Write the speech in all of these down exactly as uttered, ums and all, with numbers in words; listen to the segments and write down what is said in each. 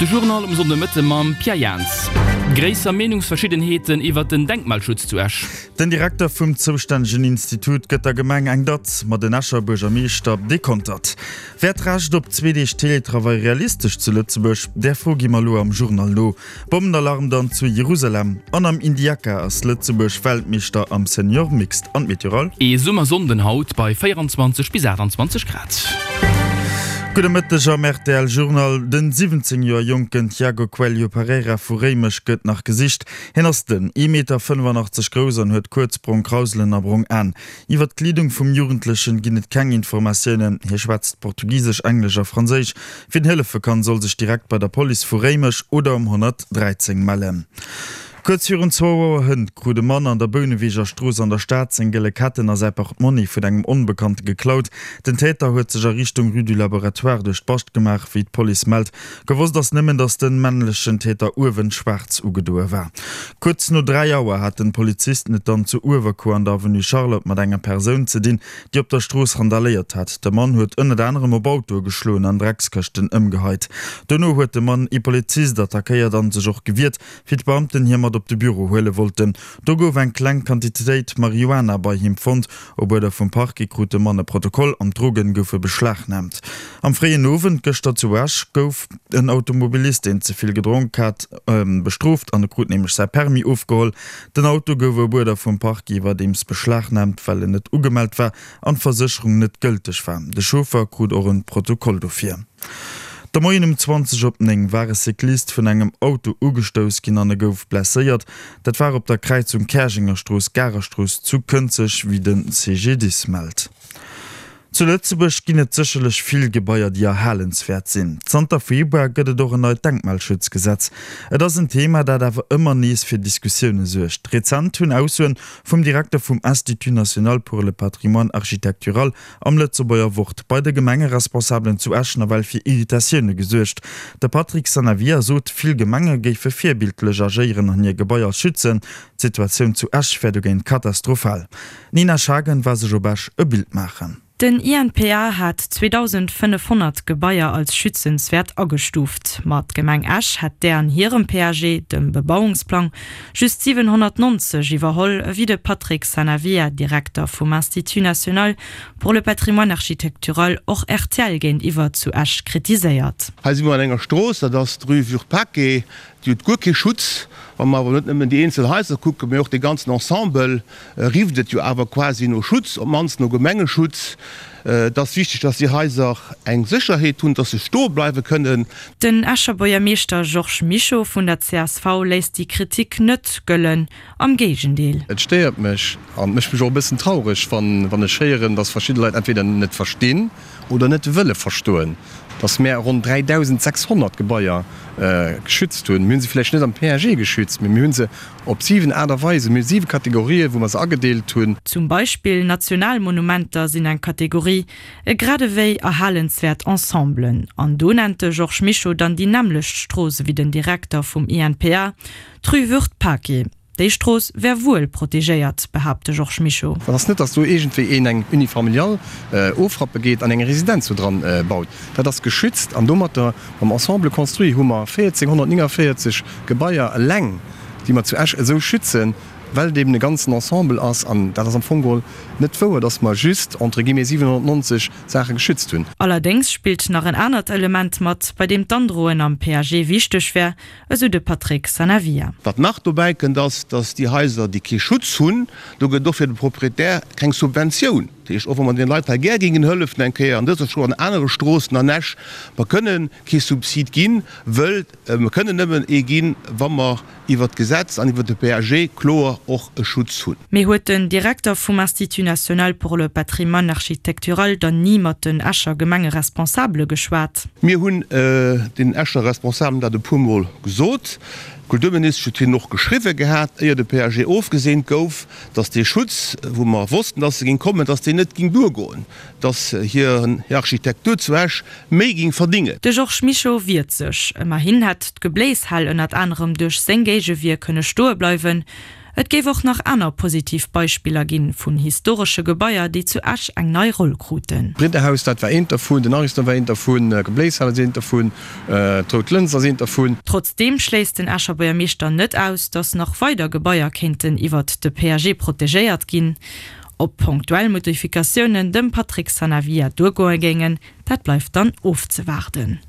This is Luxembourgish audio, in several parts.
De Journal um Sonndemëtte mam Pierre Jans. Gréisser Meenungsverschiddenheeten iwwert den Denkmalschutz zu Esch. Den Direkter vum zoustännegen Institut gëtt der Gemeng eng Datz, ma den Escher Buergermeeschter dekontert. Wär d'Recht op zwee Deeg Teletravail realistesch zu Lëtzebuerg? Där Fro gi mer elo am Journal no. Bommenalarm dann zu Jerusalem an am Indiaca ass Lëtzebuerg Weltmeeschter am Senior Mixed. An d'Meteoral? Ee Summersonnden haut bei véieranzwanzeg bis aachtanzwanzeg Grad. Gudde Mëtteg am rtl Journal. Den siwwenzéng Joer jonken Tiago Coelho Pereira vu Réimech gëtt nach gesicht. Hien ass dënn, ee Meter fënnefanachtzesch grouss an huet kuerz brong Krauselen a brong Aen. Iwwer d'Kleedung vum Jugendlechen ginn et keng Informatiounen. Hie schwätzt Portugisesch, Englesch a Franséisch. Wien hëllefe kann, soll sech direkt bei der Police vu Réimech oder um honnertdräizéng mellen. Kuerz virun zwou Auer hënt krut e Mann an der Bouneweger Strooss an der Stad seng gëlle Ketten a säi Portmonni vun engem Onbekannte geklaut. Den Täter huet sech a Richtung Rue du Laboratoire duerch d'Bascht gemaach, wéi d'Police mellt. Gewosst ass nëmmen, datt de männlechen Täter uewen schwaarz ugedoe war. Kuerz no dräi Auer haten d'Polizisten et dann zu Uewerkuer an der Avenue Charlotte mat enger Persoun ze dinn, déi op der Strooss randaléiert hat. De Mann huet ënnert anerem op Autoe geschloen an Dreckskëschten ëmgeheit. Dono huet de Mann ee Polizist attackéiert an sech och gewiert, Wéi d'Beamten hie mat op de Büro huele wollten, do gouf eng kleng Quantitéit Marihuana bei him fonnt. Op Uerder vum Parquet krut de Mann e Protokoll an d'Drogen goufe beschlagnaamt. Am fréien Owend gëschter zu Esch gouf en Automobilist, deen ze vill gedronk hat, bestrooft an e krut nämlech säi Permis ofgeholl. Den Auto gouf op Uerder vum Parquet iwwerdeems beschlagnaamt, well en net ugemellt war an d'Versécherung net gëlteg war. De Chauffer krut och e Protokoll dofir. De Moien um zwanzeg op néng war e Cyclist vun engem Auto ugestouss ginn an e gouf blesséiert. Dat war op der Kräizung Käerjengerstrooss, Garerstrooss zu Kënzeg, wéi de C G D I S mellt. Zu Lëtzebuerg ginn et sécherlech vill Gebaier, déi erhalenswäert sinn. Zanter Februar gëtt et och en neit Denkmalschutzgesetz. Et ass en Thema, dat awer ëmmer nees fir Diskussioune suergt. Rezent hunn Aussoen vum Direkter vum Institut national pour le patrimoine architectural am Lëtzebuerger Wort bei de Gemengeresponsabelen zu Esch nawell fir Irritatioune gesuergt. De Patrick Sanavia sot, vill Gemenge géife virbildlech agéieren an hir Gebaier schützen. D'Situatioun zu Esch wär dogéint katastrophal. D'Nina Schagen war sech op Esch e Bild maachen. Den I N P A hat zweedausendfënnefhonnert Gebaier als schützenswäert agestuuft. Ma d'Gemeng Esch hätt där an hirem P A G, dem Bebauungsplang, just siwenhonnertnonzeg iwwerholl, ewéi de Patrick Sanavia, Direkter vum Institut national pour le patrimoine architectural, och R T L géintiwwer zu Esch kritiséiert. Hei si mer an enger Strooss, dat ass d'Rue Würth-Paquet, déi huet guer kee Schutz. Wa mer awer net nëmmen déi eenzel Haiser kucken, mee och dee ganzen Ensemble, rifft et jo awer quasi no Schutz, op d'mannst no Gemengeschutz. Et ass wichteg, dass déi Haiser eng Sécherheet hunn, dass se stoe bleiwe kënnen. Den Escher Buergermeeschter Georges Mischo vun der C S V léisst déi Kritik net gëllen, am Géigendeel. Et stéiert mech an mécht mech och e bëssen traureg, wann ech héieren, dass verschidde Leit entweder net verstinn oder net wëlle verstoen, dass mär ronn dräidausendsechshonnert Gebaier geschützt hunn. Mir hu se vläicht net am P A G geschützt, mee mir hu se op siwen Aart a Weisen, mir hu siwe Kategorien, wou mer se agedeelt hunn. Zum Beispill Nationalmonumenter sinn eng Kategorie, grad ewéi erhalenswäert Ensemblen. An do nennt de Georges Mischo dann déi nämmlecht Strooss ewéi den Direkter vum I N P A, d'Rue Würth-Paquet. Déi Strooss wär wuel protegéiert, behaapt de Georges Mischo. Dat ass net, datt do iergendwéi een eng Unifamiliale ofrappe geet an eng Residenz do dran baut. Dat ass geschützt an domatter mam Ensemble construit hu mer véierzénghonnertnéngavéierzeg Gebaier eleng, déi mer zu Esch esou schützen, well et eben e ganzen Ensemble ass. An dat ass am Fong geholl net wouer, datt mer just entre guillemets siwenhonnertnonzeg Saache geschützt hunn. Allerdéngs spillt nach en anert Element mat, bei deem d'Androen am P A G wichteg wär, esou de Patrick Sanavia. Wat nach dobäi kënnt, ass, dass déi Haiser, déi kee Schutz hunn, do gëtt et och fir de Proprietär keng Subventioun. Dat heescht, och wa mer deene Leit hei gär géingen hëllefen, eng Kéier an dëser Strooss, an anere Stroossen an Esch, mer kënnen kee Subsid ginn, wëll mer kënnen nëmmen ee ginn, wa mer iwwert d'Gesetz an iwwert de P A G kloer och e Schutz hunn. Mee huet den Direkter vum Institut national pour le patrimoine architectural dann ni mat den Escher Gemengeresponsabele geschwat? Mir hunn den Escher Responsabelen dat e puermol gesot. D'Kulturministesch huet hinnen och geschriwwe gehat, éier de P A G ofgeseent gouf, datt dee Schutz, wou mer wossten, datt e géing kommen, datt deen net géing duergoen, datt hir Architektur zu Esch méi géing verdingen. De Georges Mischo wiert sech. Ëmmerhin hätt d'Gebléishal ënnert anerem duerch seng Géigewier kënne stoe bleiwen. Et géif och nach aner positiv Beispiller ginn, vun historesche Gebaier, déi zu Esch eng nei Roll kruten. D'Bridderhaus, dat war eent dervun, den Ariston war eent dervun, d'Gebléishal ass eent dervun, d'Rout Lëns ass eent dervun. Trotzdeem schléisst den Escher Buergermeeschter net aus, datt nach weider Gebaier kéinten iwwert de P A G protegéiert ginn. Ob punktuell Modifikatiounen dem Patrick Sanavia duergoe géingen, dat bleift dann ofzewaarden.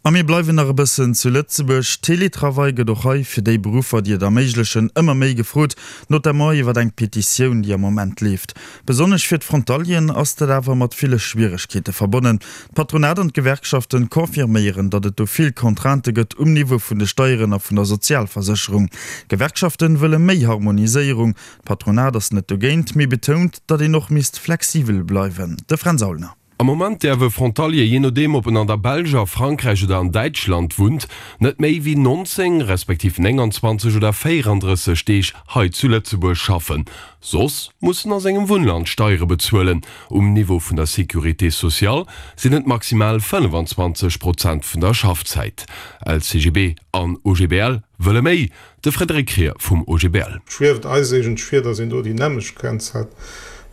A mir bleiwen nach e bëssen zu Lëtzebuerg. Teletravail gëtt och hei fir déi Beruffer, déi et erméiglechen, ëmmer méi gefrot, notamment iwwer eng Petitioun, déi am Moment leeft. Besonnesch fir d'Frontalieren ass dat awer mat ville Schwieregkeete verbonnen. D'Patronat an d'Gewerkschaften confirméieren, datt et do vill Contraintë gëtt um Niveau vun de Steieren a vun der Sozialversécherung. D'Gewerkschaften wëlle méi Harmoniséierung. D'Patronat ass net dogéint, mee betount, datt een och misst flexibel bleiwen. De Fränz Aulner. Am Moment däerf e Frontalier, jee nodeem ob en an der Belsch, a Frankräich oder an Däitschland wunnt, net méi wéi neunzéng respektiv nénganzwanzeg oder véierandrësseg Deeg hei zu Lëtzebuerg schaffen. Soss muss en a sengem Wunnland Steiere bezuelen. Um Niveau vun der Sécurité sociale sinn et maximal fënnefanzwanzeg Prozent vun der Schaffzäit. L C G B an O G B L wëlle méi. De Frédéric Krier vum O G B L. Schwieft eis eigentlech vir, datt een do déi nämmlecht Grenz hätt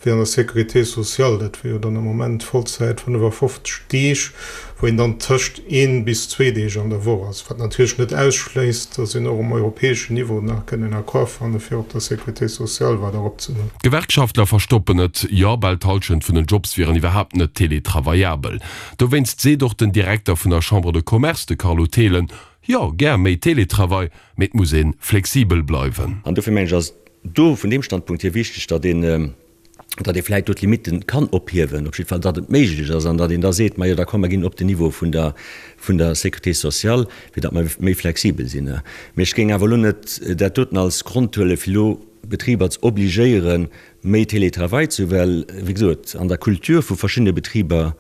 wéi an der Sécurité sociale, dat wier jo dann am Moment Vollzäit fënnefafofzeg Deeg, wou een dann tëscht een bis zwee Deeg an der Woch ass, wat natierlech net ausschléisst, datt een och um europäeschen Niveau nach kënnt en Accord fanne fir op der Sécurité sociale weider eropzehuelen. D'Gewerkschaftler verstoppen et, jo, bal d'Hallschent vun den Jobs wieren iwwerhaapt net teletravaillabel. Dowéinst seet och den Direkter vun der Chambre de Commerce, de Carlo Thelen, Jo, gär méi Teletravail, mee et muss ee flexibel bleiwen. An dofir mengen ech ass et do vun deem Standpunkt hier wichteg, datt een, datt ee vläicht do d'Limite kann ophiewen, op jidde Fall datt et méiglech ass an datt een da seet, majo da komm mer ginn op den Niveau vun der, vun der Sécurité sociale, fir datt mer méi flexibel sinn. Mee ech géing awer elo net dat doten als Grond huelen, fir elo Betriber ze obligéieren, méi Télétravail ze hu, well, wéi gesot, an der Kultur vu verschiddene Betriber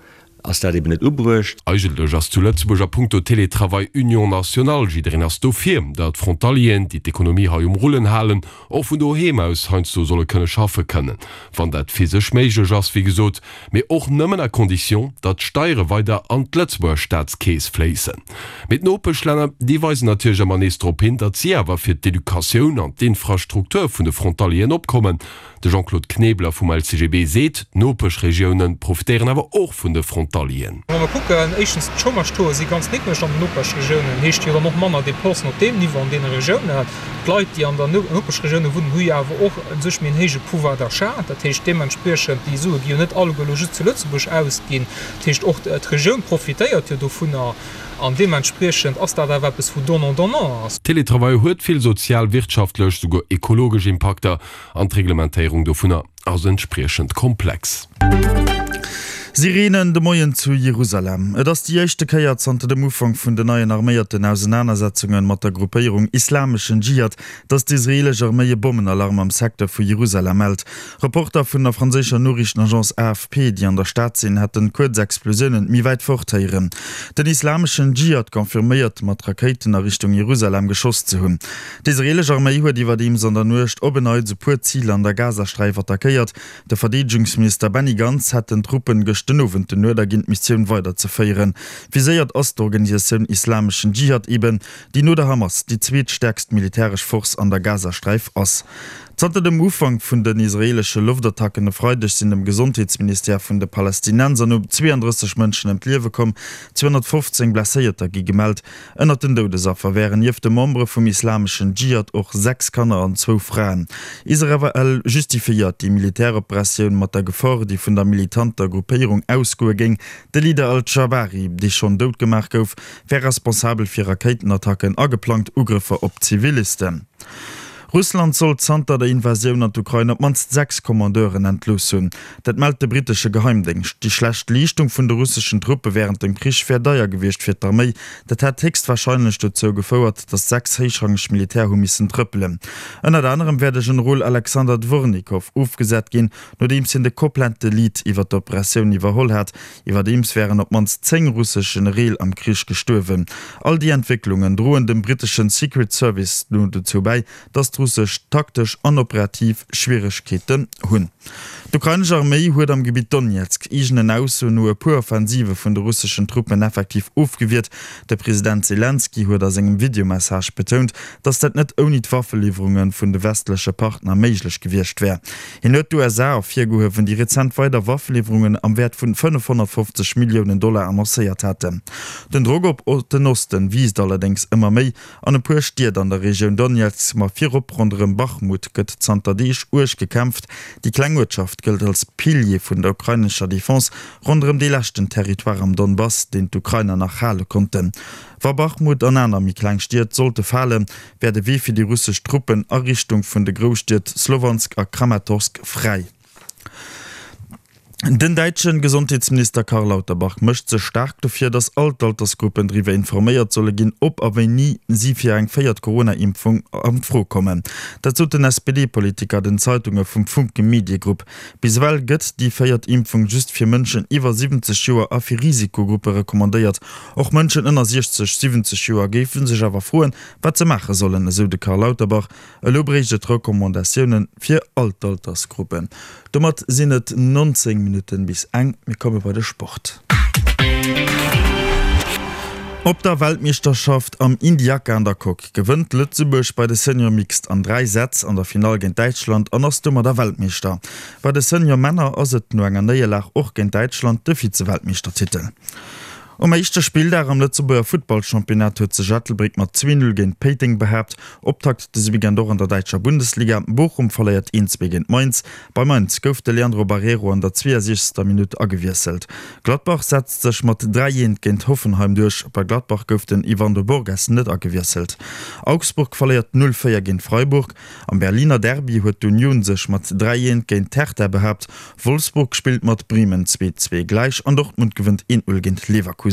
ass dat eben net ubruecht. Eigentlech ass zu Lëtzebuerg a punkto Télétravail Union nationale. Jiddereen ass dofir, datt d'Frontalieren, déi d'Ekonomie hei um Rullen halen, och vun doheem aus heiansdo solle kënne schaffe kënnen, wann dat physesch méiglech ass, wéi gesot, mee och nëmmen à condition, datt d'Steiere weider an d'Lëtzebuerger Staatskeess fléissen. Mee d'Nopeschlänner, déi weisen natierlech ëmmer nees drop hin, datt si awer fir d'Educatioun an d'Infrastruktur vun de Frontalieren opkommen. De Jean-Claude Knebeler vum L C G B seet, d'Nopeschregioune profitéieren awer och vun de Frontalieren. Wa mer kucken, éischtens, d'Chômage-Tauxe si ganz niddreg an den Nopeschregiounen, heescht jo dann och manner Dépensen op deem Niveau an deene Regiounen. D'Leit, déi an der Nopeschregioune wunnen, hu jo awer och u sech méi en héije Pouvoir d'achat. Dat heescht deementspriechend, déi Sue gi jo net alleguer elo just zu Lëtzebuerg ausginn. Dat heescht, och d'Regioun profitéiert jo dovunner. An deementspriechend ass dat awer eppes, wou donnant-donnant ass. Teletravail huet vill sozial, wirtschaftlech, souguer ekologesch Impakter an d'Reglementéierung dovunner ass entspriechend komplex. Sireenen de Moien zu Jerusalem. Et ass déi éischte Kéier zanter dem Ufank vun den neien arméierten Ausenanersetzunge mat der Gruppéierung Islameschen Dschihad, datt d'israeelesch Arméi e Bommenalarm am Secteur vu Jerusalem mellt. Reporter vun der franséischer Noriichtenagence A F P, déi an der Stad sinn, hätten kuerz Explosiounen méi wäit fort héieren. Den Islameschen Dschihad confirméiert, mat Rakéiten a Richtung Jerusalem geschoss ze hunn. D'israeelesch Arméi huet iwwerdeems an der Nuecht op en Neits e puer Ziler an der Gazasträif attackéiert. De Verdeedegungsminister Benny Gantz hätt den Truppen gëscht den Owend den Uerder ginn, d'Missioun weiderzeféieren. Viséiert ass d'Organisatioun Islameschen Dschihad eben, déi no der Hamas déi zweetstäerkst militäresch Force an der Gazasträif ass. Zanter dem Ufank vun den israeelesche Loftattacken e Freideg sinn dem Gesondheetsministère vun de Palästinenser no zweeandrësseg Mënschen ëm d'Liewe komm, zweehonnertfofzéng Blesséierter gi gemellt. Ënnert den Doudesaffer wären nieft de Membere vum Islameschen Dschihad och sechs Kanner an zwou Fraen. Israel justifiéiert déi Militäroperatioun mat der Gefor, déi vun der militanter Gruppéierung ausgoe géing. De Leader al-Dschabari, dee schonn dout gemaach gouf, wär responsabel fir Rakéitenattacken a geplangt Ugrëffer op Zivilisten. Russland soll zanter der Invasioun an d'Ukrain op d'mannst sechs Kommandeuren entlooss hunn. Dat mellt de brittesche Geheimdéngscht. Déi schlecht Leeschtung vun de russeschen Truppe wärend dem Krich wär deier gewiescht fir d'Arméi. Dat hätt héchstwarscheinlech dozou gefouert, datt sechs héichrangeg Militär hu missen trëppelen. Ënnert anerem wär de Generol Alexander Dwornikow ofgesat ginn, nodeems hien de komplette Lead iwwer d'Operatioun iwwerholl hat. Iwwerdeems wären op d'mannst zéng russesch Genereel am Krich gestuerwen. All déi Entwécklungen droen dem britteschen Secret Service no dozou bäi, datt d'russesch taktesch an operativ Schwieregkeeten hunn. D'ukrainesch Arméi huet am Gebitt Donezk eegenen Aussoen no e puer Offensive vun de russeschen Truppen effektiv ofgewiert. De President Selenskyj huet a sengem Videomessage betount, datt dat net ouni d'Waffeliwwerunge vun de westleche Partner méiglech gewiescht wär. Hien huet d'USA ervirgehuewen, déi rezent weider Waffeliwwerungen am Wäert vun fënnefhonnertfofzeg Milliounen Dollar annoncéiert haten. Den Drock op den Osten wiisst allerdéngs ëmmer méi. An e puer Stied an der Regioun Donezk, ma virop ronderëm Bachmut, gëtt zanter Deeg uerg gekämpft. Déi kleng Uertschaft gëllt als Pilier vun der ukrainescher Defense ronderëm dee leschten Territoire am Donbass, deen d'Ukrainer nach hale konnten. Wa Bachmut an aner méi kleng Stied sollte falen, wär de Wee fir déi russesch Truppen a Richtung vun de Grousstied Slowansk a Kramatorsk fräi. Den däitsche Gesondheetsminister Karl Lauterbach mécht sech staark dofir, datt all d'Altersgruppen driwwer informéiert solle ginn, ob a wéini si fir eng véiert Corona-Impfung an d'Fro kommen. Dat sot den S P D-Politiker den Zeitunge vum Funke Mediegrupp. Bis ewell gëtt déi véiert Impfung just fir Mënschen iwwer siwwenzeg Joer a fir Risikogruppe recommandéiert. Och Mënschen ënner siechzeg, siwwenzeg Joer géife sech awer froen, wat se maache sollen, esou de Karl Lauterbach. Elo bréicht et Recommandatioune fir all d'Altersgruppen. Domat sinn et nonzéng Minutten bis eng. Mir komme bei de Sport. Op der Weltmeeschterschaft am Indiaca an der Coque gewënnt Lëtzebuerg bei de Senior Mixed an dräi Sätz an der Finall géint Däitschland an ass domadder Weltmeeschter. Bei de Senior Männer ass et no enger Néierlag och géint Däitschland de Vize-Weltmeeschtertitel. Um éischte Spilldag am Lëtzebuerger Futtballchampionnat huet sech Ettelbréck mat zwee Null géint Péiteng behaapt. Optakt dëse Weekend och an der däitscher Bundesliga, Bochum verléiert een zwee géint Mainz. Bei Mainz gouf de Leandro Barreiro an der zweeësiechzegster Minutt agewiesselt. Gladbach setzt sech mat dräi eent géint Hoffenheim duerch. Bei Gladbach gouf den Yvandro Borges net agewiesselt. Augsburg verléiert null véier géint Freiburg. Am Berliner Derby huet d'Union sech mat dräi eent géint d'Hertha behaapt. Wolfsburg spillt mat Bremen zwee zwee gläich an Dortmund gewënnt een null géint Leverkusen.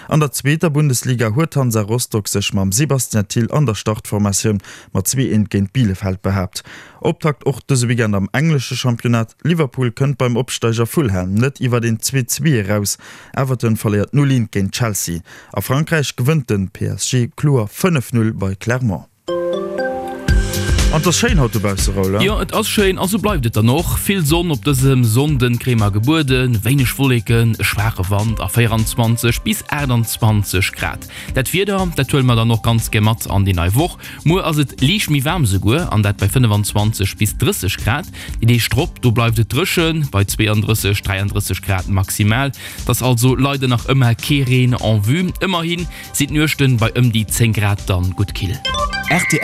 An der zweeter Bundesliga huet Hansa Rostock sech mam Sebastien Thill an der Startformatioun mat zwee eent géint Bielefeld behaapt. Optakt och dëse Weekend am englesche Championnat, Liverpool kënnt beim Opsteiger Fulham net iwwer een zwee zwee eraus, Everton verléiert null eent géint Chelsea. A Frankräich gewënnt de P S G kloer fënnef null bei Clermont. An et ass schéin haut dobausse, Raoul, hein? Jo, et ass schéin a sou bleift et dann och. Vill Sonn op dësem Sonnden kréie mer gebueden, wéineg Wolleken, e schwaache Wand a véieranzwanzeg bis aachtanzwanzeg Grad. Dat Wieder, dat huele mer dann och ganz gär mat an déi nei Woch. Muer ass et liicht méi waarm souguer, an dat bei fënnefanzwanzeg bis drësseg Grad. Déi Deeg drop, do bleift et dréchen, bei zweeandrësseg, dräiandrësseg Grad maximal. Et ass also leider nach ëmmer kee Reen en vue. Ëmmerhi sinn d'Nuechten bei ëm déi zéng Grad dann gutt kill. Rtl.